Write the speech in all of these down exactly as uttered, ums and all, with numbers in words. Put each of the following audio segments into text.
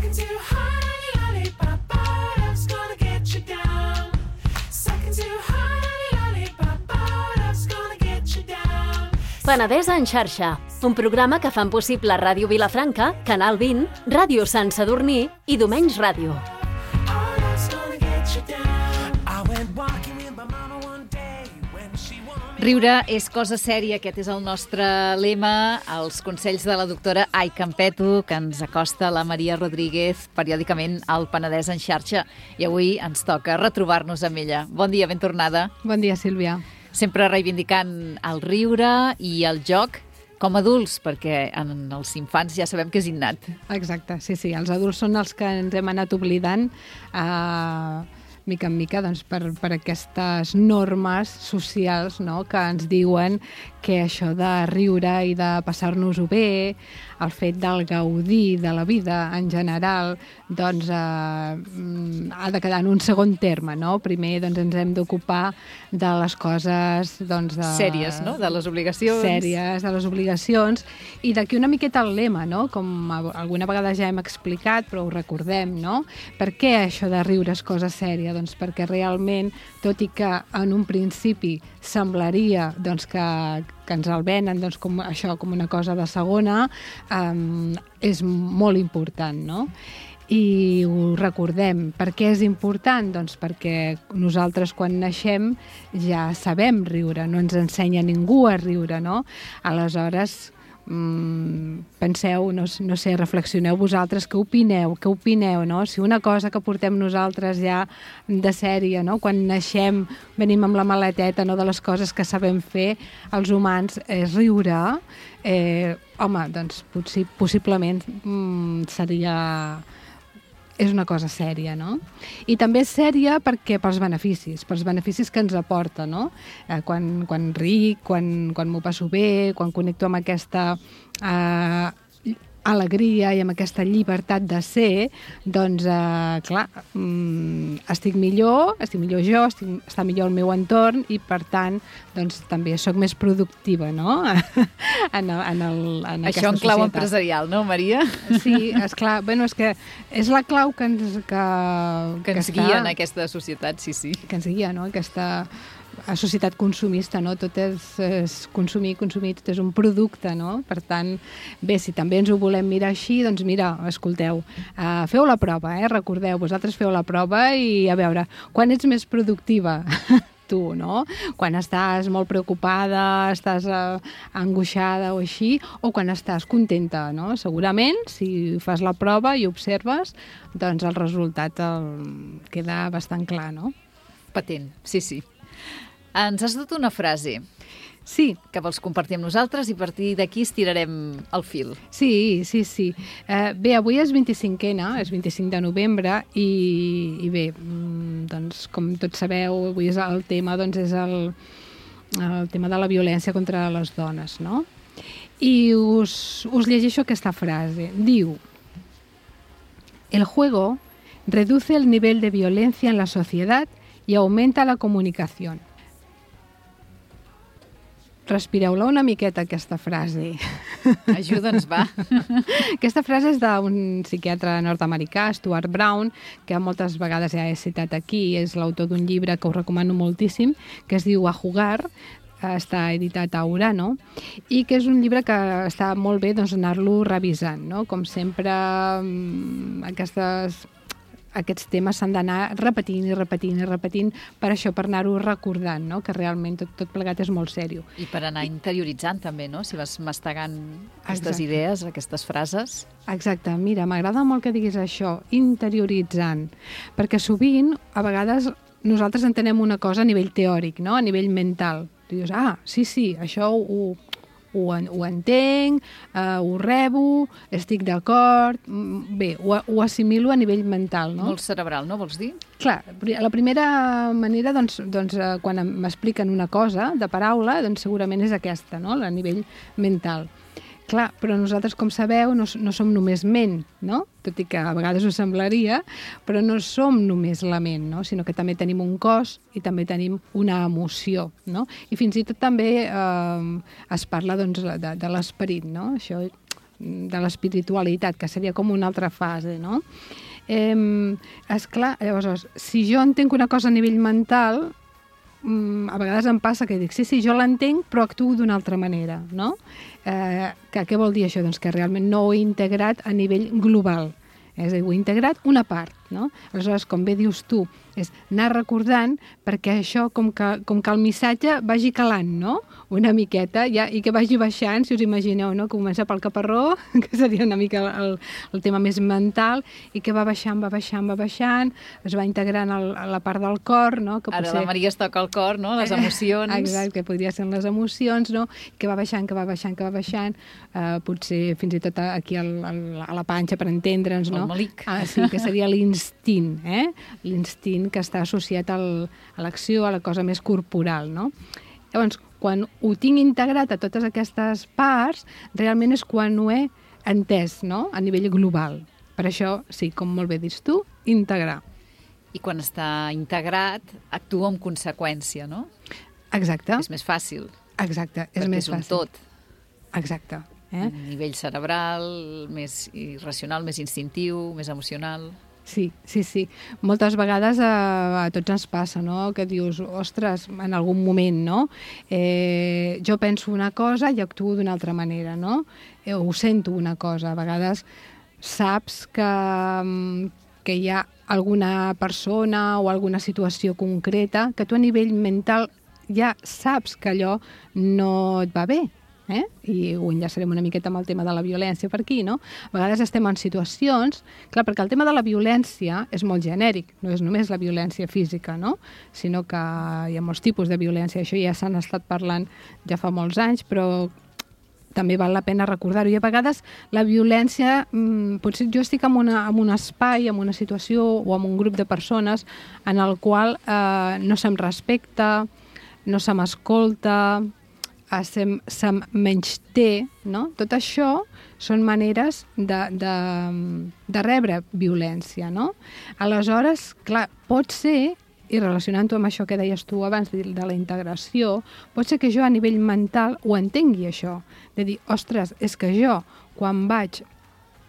Sucking too hard on the lollipop, love's gonna get you down. Sucking too hard on the lollipop, love's gonna get you down. Penedès en xarxa, un programa que fan possible Ràdio Vilafranca, Canal vint, Ràdio Sant Sadurní i Domenys Ràdio. Riure és cosa sèria, aquest és el nostre lema, els consells de la doctora Ai Campeto, que ens acosta la Maria Rodríguez periòdicament al Penedès en xarxa, i avui ens toca retrobar-nos amb ella. Bon dia, ben tornada. Bon dia, Sílvia. Sempre reivindicant el riure i el joc com a adults, perquè en els infants ja sabem que és innat. Exacte, sí, sí, els adults són els que ens hem anat oblidant eh, mica en mica doncs, per, per aquestes normes socials, no?, que ens diuen que això de riure i de passar-nos-ho bé, el fet del gaudir de la vida en general, doncs eh, ha de quedar en un segon terme, no? Primer doncs, ens hem d'ocupar de les coses doncs, de... sèries, no?, de les obligacions. Sèries, de les obligacions, i d'aquí una miqueta el lema, no?, com alguna vegada ja hem explicat, però ho recordem, no? Per què això de riure és cosa sèria? Doncs perquè realment, tot i que en un principi semblaria doncs, que, que ens el venen doncs, com això com una cosa de segona, um, és molt important, no? I ho recordem. Per què és important? Doncs perquè nosaltres quan naixem ja sabem riure, no ens ensenya ningú a riure, no? Aleshores, Mm, penseu, no, no sé, reflexioneu vosaltres, què opineu, què opineu, no? Si una cosa que portem nosaltres ja de sèrie, no? Quan naixem venim amb la maleteta, no?, de les coses que sabem fer els humans, és riure, eh, home, doncs potser, possiblement mm, seria... és una cosa sèria, no? I també és sèria perquè pels beneficis, pels beneficis que ens aporta, no? Eh, quan, quan ric, quan, quan m'ho passo bé, quan connecto amb aquesta eh, alegria i amb aquesta llibertat de ser, doncs, eh, clar, mm, estic millor, estic millor jo, estic, està millor el meu entorn i, per tant, doncs, també sóc més productiva, no?, en, en, el, en aquesta societat. Això en clau empresarial, no, Maria? Sí, esclar, bueno, és que és la clau que ens, que, que ens que guia està, en aquesta societat, sí, sí. Que ens guia, no?, aquesta a societat consumista, no? Tot és, és consumir, consumir, tot és un producte, no? Per tant, bé, si també ens ho volem mirar així, doncs mira, escolteu, uh, feu la prova, eh? Recordeu, vosaltres feu la prova i a veure, quan ets més productiva? Tu, no? Quan estàs molt preocupada, estàs uh, angoixada o així, o quan estàs contenta, no? Segurament, si fas la prova i observes, doncs el resultat el... queda bastant clar, no? Patent, sí, sí. Ens has dut una frase. Sí. Que vols compartir amb nosaltres i a partir d'aquí estirarem el fil. Sí, sí, sí. Eh, bé, avui és vint-i-cinquena, és vint-i-cinc de novembre i, i bé, doncs com tots sabeu, avui és el tema, doncs és el, el tema de la violència contra les dones, no? I us, us llegeixo aquesta frase. Diu: el juego reduce el nivel de violencia en la sociedad y aumenta la comunicación. Respireu-la una miqueta, aquesta frase. Ajuda'ns, va. Aquesta frase és d'un psiquiatre nord-americà, Stuart Brown, que moltes vegades ja he citat aquí, és l'autor d'un llibre que us recomano moltíssim, que es diu A Jugar, està editat a Urano, i que és un llibre que està molt bé doncs, anar-lo revisant, no? Com sempre, aquestes... aquests temes s'han d'anar repetint i repetint i repetint per això, per anar-ho recordant, no? Que realment tot, tot plegat és molt sèrio. I per anar interioritzant també, no? Si vas mastegant aquestes Exacte. idees, aquestes frases. Exacte, mira, m'agrada molt que diguis això, interioritzant, perquè sovint, a vegades, nosaltres entenem una cosa a nivell teòric, no? A nivell mental. Tu dius, ah, sí, sí, això ho... Ho, ho entenc, uh, ho rebo, estic d'acord, bé, ho, ho assimilo a nivell mental, no? Molt cerebral, no vols dir? Clar, la primera manera, doncs, doncs quan m'expliquen una cosa de paraula, doncs segurament és aquesta, no?, a nivell mental. Clar, però nosaltres, com sabeu, no, no som només ment, no? Tot i que a vegades ho semblaria, però no som només la ment, no? Sinó que també tenim un cos i també tenim una emoció, no? I fins i tot també eh, es parla doncs, de, de l'esperit, no? Això de l'espiritualitat, que seria com una altra fase, no? Eh, esclar, llavors, si jo entenc una cosa a nivell mental, mm, a vegades em passa que dic, sí, sí, jo l'entenc, però actuo d'una altra manera, no? Eh, que, què vol dir això? Doncs que realment no ho he integrat a nivell global. És a dir, ho he integrat una part, no? Aleshores, com bé dius tu, és anar recordant perquè això, com que, com que el missatge vagi calant, no? Una miqueta, ja, i que vagi baixant, si us imagineu, no? Comença pel caparró, que seria una mica el, el tema més mental, i que va baixant, va baixant, va baixant, es va integrant el, a la part del cor, no? Que Ara potser... la Maria es toca el cor, no? Les emocions. Exacte, que podria ser les emocions, no? Que va baixant, que va baixant, que va baixant, eh, potser fins i tot aquí al, al, a la panxa, per entendre'ns, no? El malic. Ah, sí, que seria l'instint, eh? L'instint que està associat al, a l'acció, a la cosa més corporal, no? Llavors, quan ho tinc integrat a totes aquestes parts, realment és quan ho he entès, no?, a nivell global. Per això, sí, com molt bé dius tu, integrar. I quan està integrat, actua en conseqüència, no? Exacte. És més fàcil. Exacte, és perquè més és un fàcil. tot. Exacte. Eh? A nivell cerebral, més irracional, més instintiu, més emocional. Sí, sí, sí. Moltes vegades a, a tots ens passa, no?, que dius, ostres, en algun moment, no?, eh, jo penso una cosa i actuo d'una altra manera, no?, eh, ho sento una cosa. A vegades saps que, que hi ha alguna persona o alguna situació concreta que tu a nivell mental ja saps que allò no et va bé. Eh? I ho enllaçarem una miqueta amb el tema de la violència per aquí, no? A vegades estem en situacions... Clar, perquè el tema de la violència és molt genèric, no és només la violència física, no? Sinó que hi ha molts tipus de violència. Això ja s'han estat parlant ja fa molts anys, però també val la pena recordar-ho. I a vegades la violència... Mmm, potser jo estic en, una, en un espai, en una situació o en un grup de persones en el qual eh, no se'm respecta, no se m'escolta... se'm, se'm menysté, no? Tot això són maneres de, de, de rebre violència, no? Aleshores, clar, pot ser, i relacionant-ho amb això que deies tu abans de, de la integració, pot ser que jo a nivell mental ho entengui això, de dir, ostres, és que jo, quan vaig...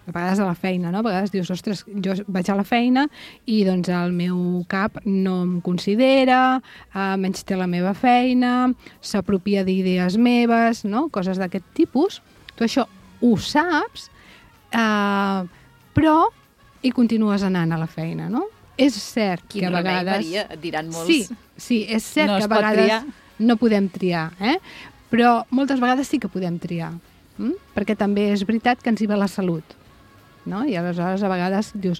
a vegades a la feina, no? A vegades dius, ostres, jo vaig a la feina i doncs el meu cap no em considera, eh, menys té la meva feina, s'apropia d'idees meves, no? Coses d'aquest tipus. Tu això ho saps, eh, però hi continues anant a la feina, no? És cert Quin que a remei, vegades... Maria, et diran molts. Sí, sí, és cert No que es a pot vegades triar. no podem triar, eh? Però moltes vegades sí que podem triar, hm? Perquè també és veritat que ens hi va la salut. No? I aleshores a vegades dius,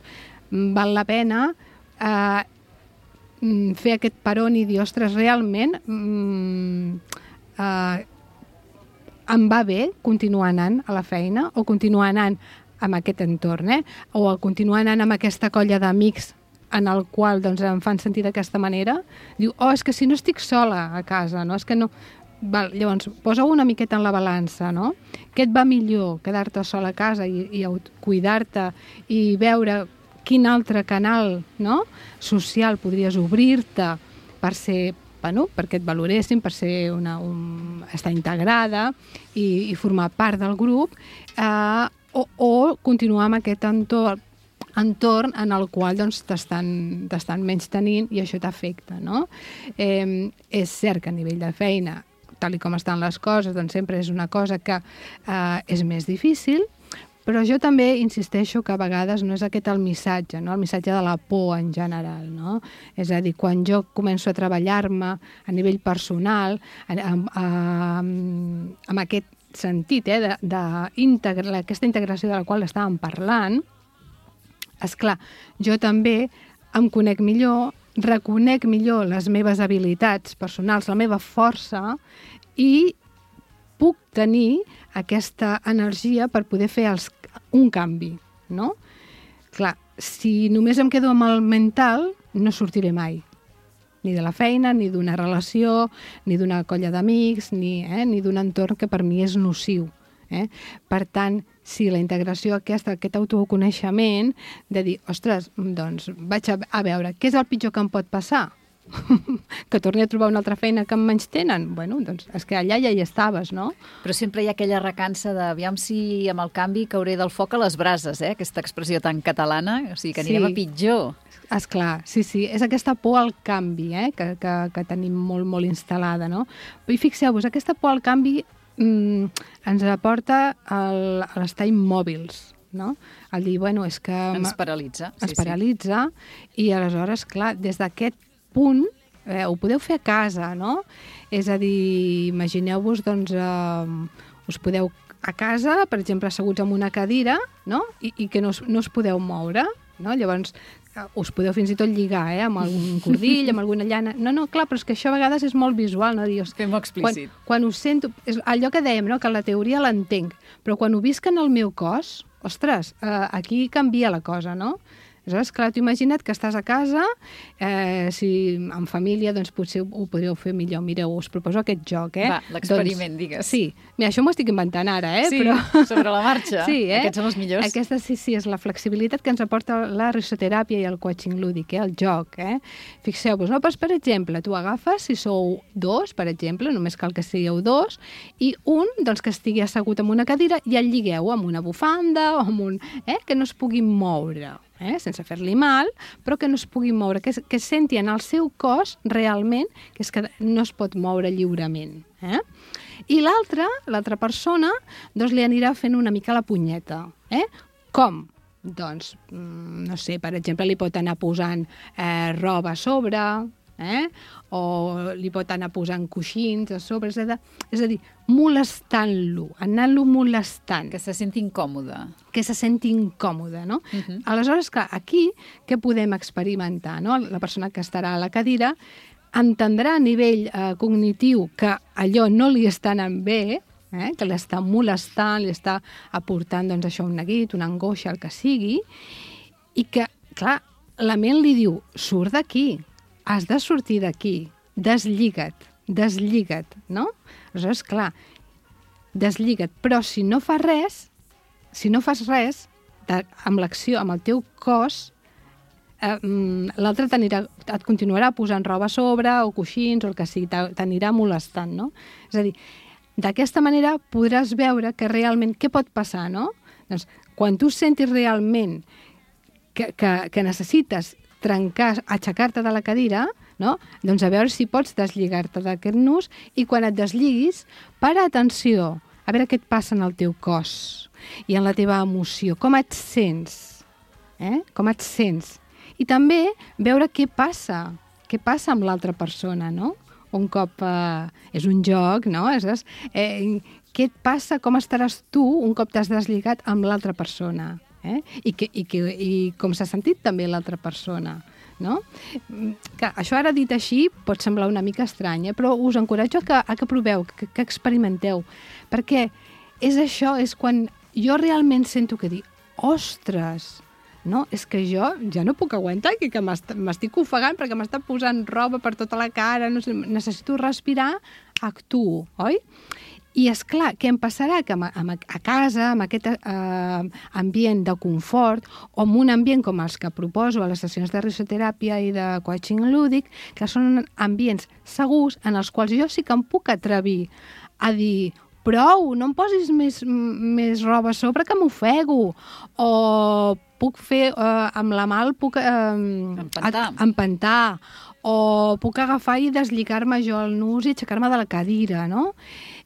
val la pena eh, fer aquest peron i dir, ostres, realment mm, eh, em va bé continuar anant a la feina o continuar anant amb aquest entorn, eh? O continuar anant amb aquesta colla d'amics en el qual doncs, em fan sentir d'aquesta manera. Diu, oh, és que si no estic sola a casa, no? És que no... Val, llavors, posa-ho una miqueta en la balança, no? Què et va millor, quedar-te sola a casa i, i cuidar-te i veure quin altre canal, no?, social podries obrir-te per ser, bueno, perquè et valoressin, per ser una, un, estar integrada i, i formar part del grup, eh, o, o continuar amb aquest entorn, entorn en el qual doncs, t'estan t'estan menys tenint i això t'afecta, no? Eh, és cert que a nivell de feina, tal i com estan les coses, doncs sempre és una cosa que eh, és més difícil, però jo també insisteixo que a vegades no és aquest el missatge, no? El missatge de la por en general, no? És a dir, quan jo començo a treballar-me a nivell personal, amb, amb, amb aquest sentit, eh, de, de integra, aquesta integració de la qual estàvem parlant, esclar, jo també em conec millor, reconec millor les meves habilitats personals, la meva força, i puc tenir aquesta energia per poder fer els, un canvi, no? Clar, si només em quedo amb el mental, no sortiré mai. Ni de la feina, ni d'una relació, ni d'una colla d'amics, ni, eh, ni d'un entorn que per mi és nociu. Eh? Per tant, si la integració aquesta, aquest autoconeixement, de dir, ostres, doncs vaig a, a veure què és el pitjor que em pot passar? que torni a trobar una altra feina que em menys tenen. Bueno, doncs és que allà ja hi estaves, no? Però sempre hi ha aquella recança de aviam si amb el canvi cauré del foc a les brases, eh? Aquesta expressió tan catalana, o sigui que anirem Sí. a pitjor. Esclar, sí, sí, és aquesta por al canvi, eh, que, que, que tenim molt, molt instal·lada, no? I fixeu-vos, aquesta por al canvi mm, ens aporta el, a l'estar immòbils, no? El dir, bueno, és que... Ens paralitza. ens paralitza i aleshores, clar, des d'aquest punt eh, ho podeu fer a casa, no? És a dir, imagineu-vos, doncs, eh, us podeu a casa, per exemple, asseguts en una cadira, no? I, i que no us, no us podeu moure, no? Llavors, eh, us podeu fins i tot lligar, eh? Amb algun cordill, amb alguna llana... No, no, clar, però és que això a vegades és molt visual, no? Dius, Fem-ho quan, explícit. quan ho sento... És allò que dèiem, no? Que la teoria l'entenc, però quan ho visc en el meu cos, ostres, eh, aquí canvia la cosa, no? Aleshores, clar, t'ho imagina't que estàs a casa, eh, si en família, doncs potser ho, ho podríeu fer millor. Mireu, us proposo aquest joc, eh? Va, l'experiment, doncs, digues. Sí, mira, això m'ho estic inventant ara, eh? Sí, Però... sobre la marxa. Sí, eh? Aquests són els millors. Aquesta sí, sí, és la flexibilitat que ens aporta la risoteràpia i el coaching lúdic, eh? El joc, eh? Fixeu-vos, no? Pues, per exemple, tu agafes, si sou dos, per exemple, només cal que sigueu dos, i un, doncs, que estigui assegut en una cadira i el lligueu amb una bufanda o amb un... Eh? Que no es pugui moure. Eh? Sense fer-li mal, però que no es pugui moure, que, que senti en el seu cos realment que és que no es pot moure lliurement. Eh? I l'altra, l'altra persona, doncs li anirà fent una mica la punyeta. Eh? Com? Doncs, no sé, per exemple, li pot anar posant eh, roba a sobre, eh? O li pot anar posant coixins a sobre, és a dir, és a dir molestant-lo, anant-lo molestant. Que se senti incòmode. Que se senti incòmode, no? Uh -huh. Aleshores, clar, aquí què podem experimentar, no? La persona que estarà a la cadira entendrà a nivell eh, cognitiu que allò no li està anant bé, eh? Que l'està molestant, li està aportant, doncs, això, un neguit, una angoixa, el que sigui, i que, clar, la ment li diu, surt d'aquí, has de sortir d'aquí, deslliga't, deslliga't, no? Aleshores, clar, deslliga't, però si no fas res, si no fas res, de, amb l'acció, amb el teu cos, eh, l'altre t'anirà, et continuarà posant roba a sobre, o coixins, o el que sigui, t'anirà molestant, no? És a dir, d'aquesta manera podràs veure que realment, què pot passar, no? Doncs, quan tu sentis realment que, que, que necessites trencar, aixecar-te de la cadira, no? Doncs a veure si pots deslligar-te d'aquest nus i quan et desliguis, para atenció, a veure què et passa en el teu cos i en la teva emoció, com et sents, eh? Com et sents. I també veure què passa, què passa amb l'altra persona, no? Un cop eh, és un joc, no? És, eh, què et passa, com estaràs tu un cop t'has deslligat amb l'altra persona? Eh? I, que, i, que, i com s'ha sentit també l'altra persona, no? Que això ara dit així pot semblar una mica estrany, eh? Però us encoratjo a que, a que proveu, que, que experimenteu, perquè és això, és quan jo realment sento que dic, ostres, no? És que jo ja no puc aguantar, que, que m'estic ofegant perquè m'està posant roba per tota la cara, no sé, necessito respirar, actuo, oi? I és clar, què em passarà? Que a casa, amb aquest eh, ambient de confort, o en un ambient com els que proposo a les sessions de risoteràpia i de coaching lúdic, que són ambients segurs en els quals jo sí que em puc atrevir a dir prou, no em posis més, més roba a sobre que m'ofego, o puc fer, eh, amb la mà el puc eh, empentar. empentar, o puc agafar i deslligar-me jo el nus i aixecar-me de la cadira, no?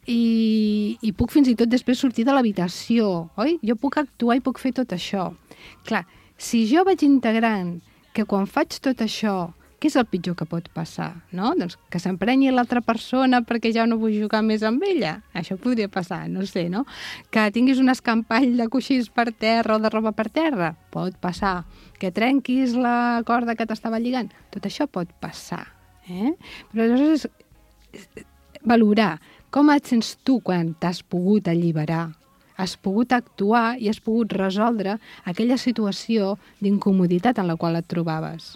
I, i puc fins i tot després sortir de l'habitació, oi? Jo puc actuar i puc fer tot això. Clar, si jo vaig integrant que quan faig tot això, què és el pitjor que pot passar, no? Doncs que s'emprenyi l'altra persona perquè ja no vull jugar més amb ella. Això podria passar, no sé, no? Que tinguis un escampall de coixins per terra o de roba per terra, pot passar. Que trenquis la corda que t'estava lligant, tot això pot passar, eh? Però aleshores és valorar com et sents tu quan t'has pogut alliberar, has pogut actuar i has pogut resoldre aquella situació d'incomoditat en la qual et trobaves.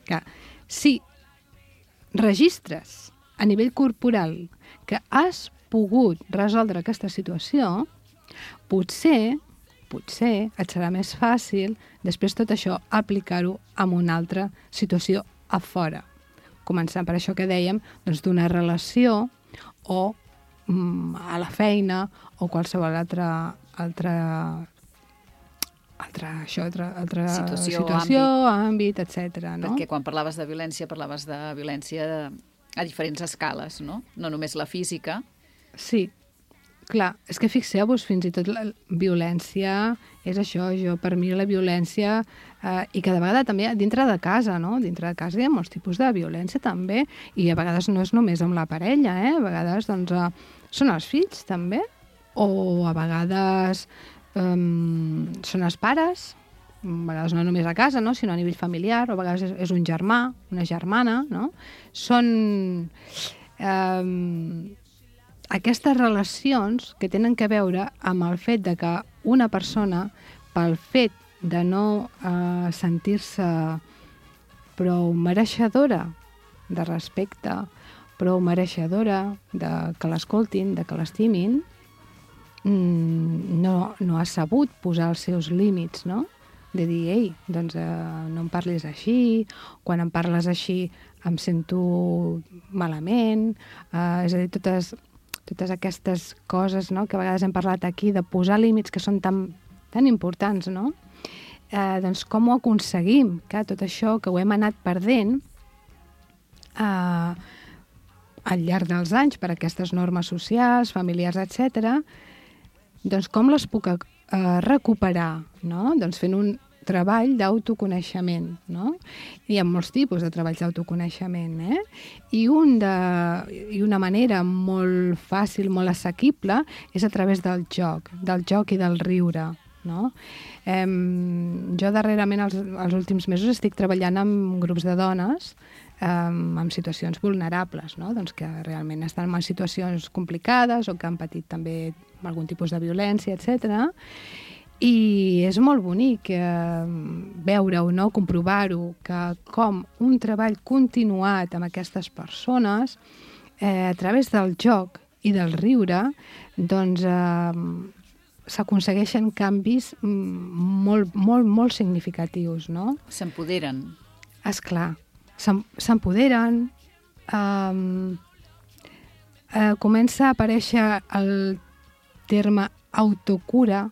Que si registres a nivell corporal que has pogut resoldre aquesta situació, potser, potser et serà més fàcil després tot això aplicar-ho en una altra situació a fora. començant per això que dèiem, doncs d'una relació o mm, a la feina o qualsevol altra, altra, altra, això, altra, altra Situació, situació àmbit, etcètera. No? Perquè quan parlaves de violència, parlaves de violència a diferents escales, no? No només la física. Sí, clar, és que fixeu-vos, fins i tot la violència és això, jo, per mi la violència, eh, i cada vegada també dintre de casa, no? Dintre de casa hi ha molts tipus de violència també, i a vegades no és només amb la parella, eh? A vegades, doncs, eh, són els fills també, o a vegades eh, són els pares, a vegades no només a casa, no? Sinó a nivell familiar, o a vegades és, és un germà, una germana, no? Són... Eh, aquestes relacions que tenen que veure amb el fet de que una persona, pel fet de no eh, sentir-se prou mereixedora de respecte, prou mereixedora de que l'escoltin, de que l'estimin, no, no ha sabut posar els seus límits, no? De dir, ei, doncs eh, no em parlis així, quan em parles així em sento malament, eh, és a dir, totes... totes aquestes coses, no?, que a vegades hem parlat aquí, de posar límits que són tan, tan importants, no? Eh, doncs com ho aconseguim? Que tot això que ho hem anat perdent eh, al llarg dels anys per aquestes normes socials, familiars, etcètera, doncs com les puc eh, recuperar, no? Doncs fent un treball d'autoconeixement, no? Hi ha molts tipus de treballs d'autoconeixement, eh? I, un de, I una manera molt fàcil, molt assequible, és a través del joc, del joc i del riure, no? Eh, jo darrerament, els, els últims mesos, estic treballant amb grups de dones eh, amb situacions vulnerables, no? Doncs que realment estan en situacions complicades o que han patit també algun tipus de violència, etcètera. I és molt bonic eh, veure-ho, no? Comprovar-ho, que com un treball continuat amb aquestes persones, eh, a través del joc i del riure, doncs eh, s'aconsegueixen canvis molt, molt, molt significatius, no? S'empoderen. Esclar, s'empoderen, eh, eh, comença a aparèixer el terme autocura,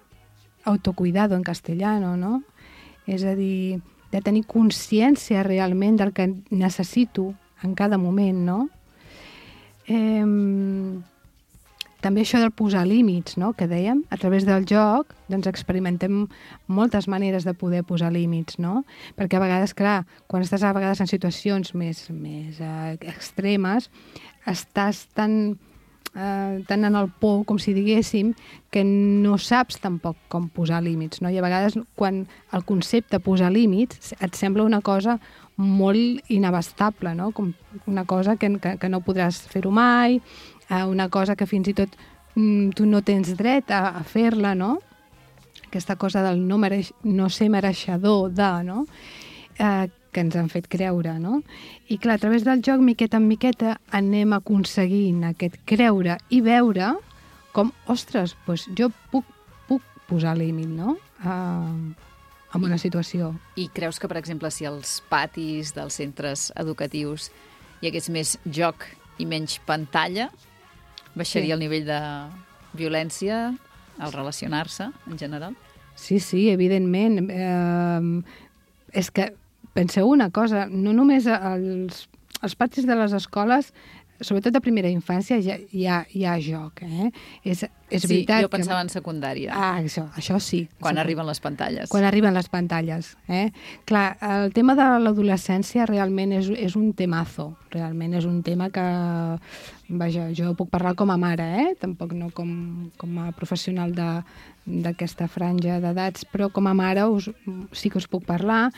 autocuidado en castellano, no? És a dir, de tenir consciència realment del que necessito en cada moment, no? Eh, també això del posar límits, no?, que dèiem, a través del joc, doncs experimentem moltes maneres de poder posar límits, no? Perquè a vegades, clar, quan estàs a vegades en situacions més, més eh, extremes, estàs tan... Uh, tant en el por, com si diguéssim, que no saps tampoc com posar límits, no? I a vegades quan el concepte posar límits et sembla una cosa molt inabastable, no? Com una cosa que, que, que no podràs fer-ho mai, uh, una cosa que fins i tot mm, tu no tens dret a, a fer-la, no? Aquesta cosa del no, mereix, no ser mereixedor de, no? Uh, que ens han fet creure, no? I clar, a través del joc, miqueta en miqueta, anem aconseguint aquest creure i veure com, ostres, doncs jo puc, puc posar límit, no?, uh, en una situació. I creus que, per exemple, si als patis dels centres educatius hi hagués més joc i menys pantalla, baixaria sí. el nivell de violència al relacionar-se, en general? Sí, sí, evidentment. Eh, és que penseu una cosa, no només als, als patis de les escoles, sobretot a primera infància, hi ha, hi ha, hi ha joc, eh? És, és sí, veritat jo pensava que... en secundària. Ah, això, això sí. Quan sí. arriben les pantalles. Quan arriben les pantalles, eh? Clar, el tema de l'adolescència realment és, és un temazo, realment és un tema que, vaja, jo puc parlar com a mare, eh? Tampoc no com, com a professional de, d'aquesta franja d'edats, però com a mare us, sí que us puc parlar.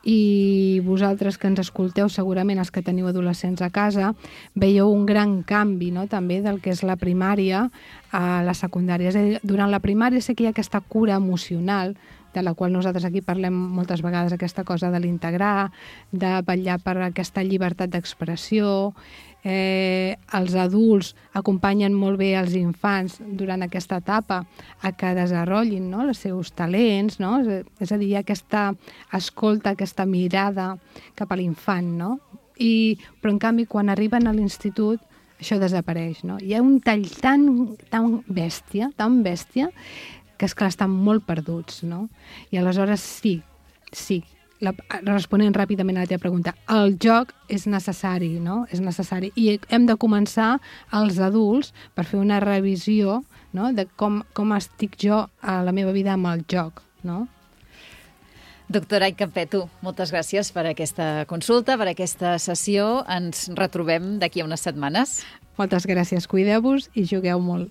I vosaltres que ens escolteu, segurament els que teniu adolescents a casa, veieu un gran canvi, no?, també del que és la primària a la secundària. És a dir, durant la primària sé que hi ha aquesta cura emocional, de la qual nosaltres aquí parlem moltes vegades, aquesta cosa de l'integrar, de vetllar per aquesta llibertat d'expressió. Eh, els adults acompanyen molt bé els infants durant aquesta etapa a que desenvolupin, no?, els seus talents, no? És a dir, aquesta escolta, aquesta mirada cap a l'infant, no? I, però, en canvi, quan arriben a l'institut, això desapareix, no? Hi ha un tall tan, tan bèstia, tan bèstia, que, esclar, estan molt perduts, no? I aleshores sí, sí, la, responent ràpidament a la teva pregunta, el joc és necessari, no? És necessari. I hem de començar els adults per fer una revisió, no? De com, com estic jo a la meva vida amb el joc, no? Doctora Ai Campetu, moltes gràcies per aquesta consulta, per aquesta sessió. Ens retrobem d'aquí a unes setmanes. Moltes gràcies, cuideu-vos i jugueu molt.